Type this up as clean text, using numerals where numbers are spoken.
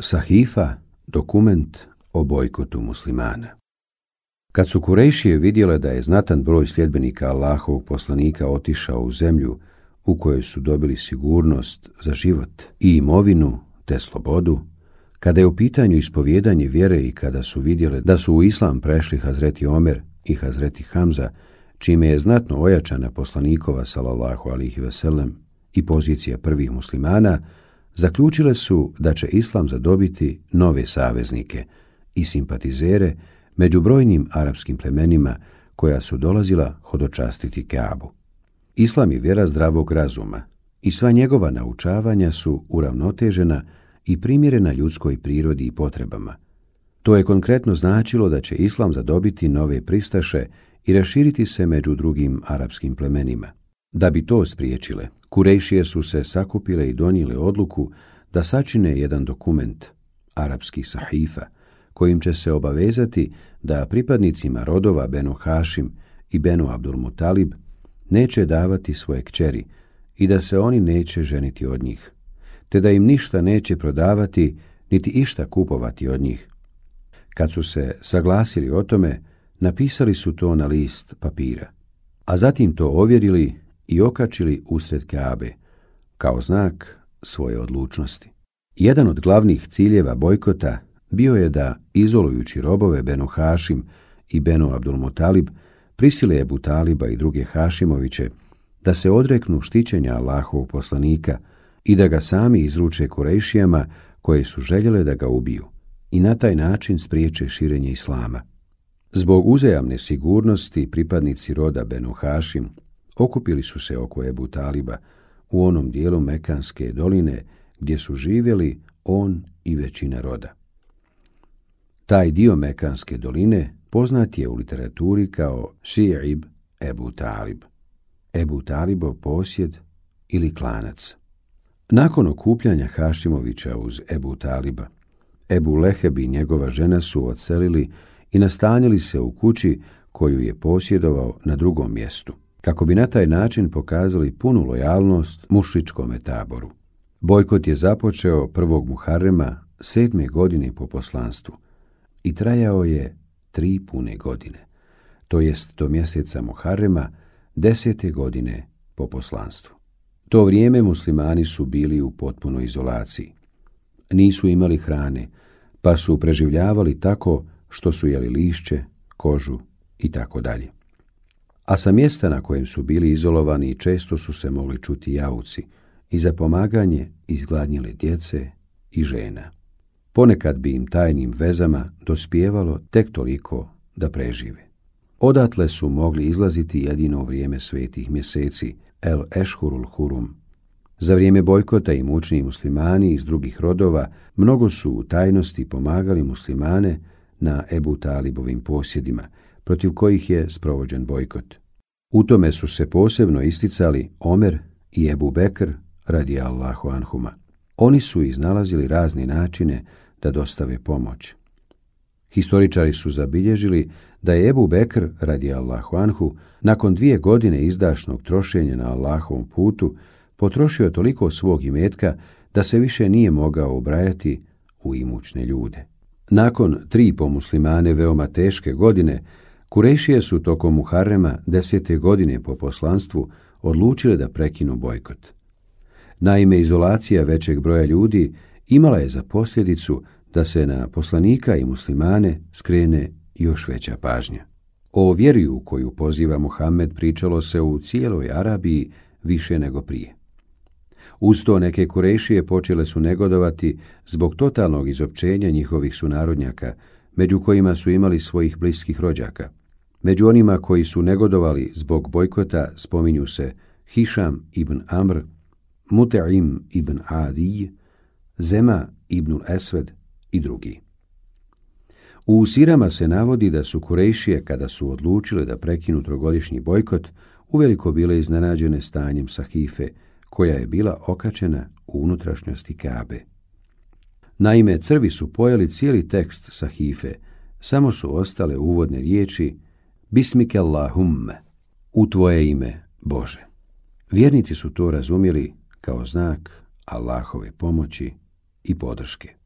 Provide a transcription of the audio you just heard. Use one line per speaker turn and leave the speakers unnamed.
Sahifa, dokument o bojkotu muslimana. Kad su Kurejšije vidjele da je znatan broj sljedbenika Allahovog poslanika otišao u zemlju u kojoj su dobili sigurnost za život i imovinu te slobodu, kada je u pitanju ispovijedanje vjere i kada su vidjele da su u islam prešli Hazreti Omer i Hazreti Hamza, čime je znatno ojačana poslanikova sallallahu alihi veselem i pozicija prvih muslimana, zaključile su da će islam zadobiti nove saveznike i simpatizere među brojnim arapskim plemenima koja su dolazila hodočastiti Kaabu. Islam je vjera zdravog razuma i sva njegova naučavanja su uravnotežena i primjerena ljudskoj prirodi i potrebama. To je konkretno značilo da će islam zadobiti nove pristaše i raširiti se među drugim arapskim plemenima. Da bi to spriječile, Kurejšije su se sakupile i donijele odluku da sačine jedan dokument, arapski sahifa, kojim će se obavezati da pripadnicima rodova Benu Hašim i Benu Abdul Mutalib neće davati svoje kćeri i da se oni neće ženiti od njih, te da im ništa neće prodavati niti išta kupovati od njih. Kad su se saglasili o tome, napisali su to na list papira, a zatim to ovjerili i okačili usred Kaabe, kao znak svoje odlučnosti. Jedan od glavnih ciljeva bojkota bio je da, izolujući robove Benu Hašim i Benu Abdul Mutalib, prisile Ebu Taliba i druge Hašimoviće da se odreknu štićenja Allahovog poslanika i da ga sami izruče Kurejšijama koje su željele da ga ubiju i na taj način spriječe širenje islama. Zbog uzajamne sigurnosti pripadnici roda Benu Hašim okupili su se oko Ebu Taliba u onom dijelu Mekanske doline gdje su živjeli on i većina roda. Taj dio Mekanske doline poznat je u literaturi kao Ši'ib Ebu Talib, Ebu Talibov posjed ili klanac. Nakon okupljanja Hašimovića uz Ebu Taliba, Ebu Leheb i njegova žena su odselili i nastanili se u kući koju je posjedovao na drugom mjestu, kako bi na taj način pokazali punu lojalnost mušričkome taboru. Bojkot je započeo 1. Muharrema 7. godine po poslanstvu i trajao je 3 pune godine, to jest do mjeseca Muharrema 10. godine po poslanstvu. To vrijeme muslimani su bili u potpunoj izolaciji. Nisu imali hrane, pa su preživljavali tako što su jeli lišće, kožu i tako dalje. A sa mjesta na kojem su bili izolovani često su se mogli čuti jauci i za pomaganje izgladnjele djece i žena. Ponekad bi im tajnim vezama dospijevalo tek toliko da prežive. Odatle su mogli izlaziti jedino u vrijeme svetih mjeseci, el ešhurul hurum. Za vrijeme bojkota i mučni muslimani iz drugih rodova mnogo su u tajnosti pomagali muslimane na Ebu Talibovim posjedima, protiv kojih je sprovođen bojkot. U tome su se posebno isticali Omer i Ebu Bekr radijallahu anhuma. Oni su iznalazili razne načine da dostave pomoć. Historičari su zabilježili da je Ebu Bekr radijallahu anhu nakon 2 godine izdašnog trošenja na Allahovom putu potrošio toliko svog imetka da se više nije mogao ubrajati u imućne ljude. Nakon 3 po muslimane veoma teške godine, Kurejšije su tokom Muharrema 10. godine po poslanstvu odlučile da prekinu bojkot. Naime, izolacija većeg broja ljudi imala je za posljedicu da se na poslanika i muslimane skrene još veća pažnja. O vjeri u koju poziva Muhammed pričalo se u cijeloj Arabiji više nego prije. Uz to neke Kurejšije počele su negodovati zbog totalnog izopćenja njihovih sunarodnjaka, među kojima su imali svojih bliskih rođaka. Među onima koji su negodovali zbog bojkota spominju se Hišam ibn Amr, Mut'im ibn Adij, Zema ibn Esved i drugi. U sirama se navodi da su Kurejšije, kada su odlučile da prekinu 3-godišnji bojkot, uveliko bile iznenađene stanjem sahife, koja je bila okačena u unutrašnjosti Kaabe. Naime, crvi su pojeli cijeli tekst sahife, samo su ostale uvodne riječi Bismike Allahumme, u tvoje ime, Bože. Vjernici su to razumjeli kao znak Allahove pomoći i podrške.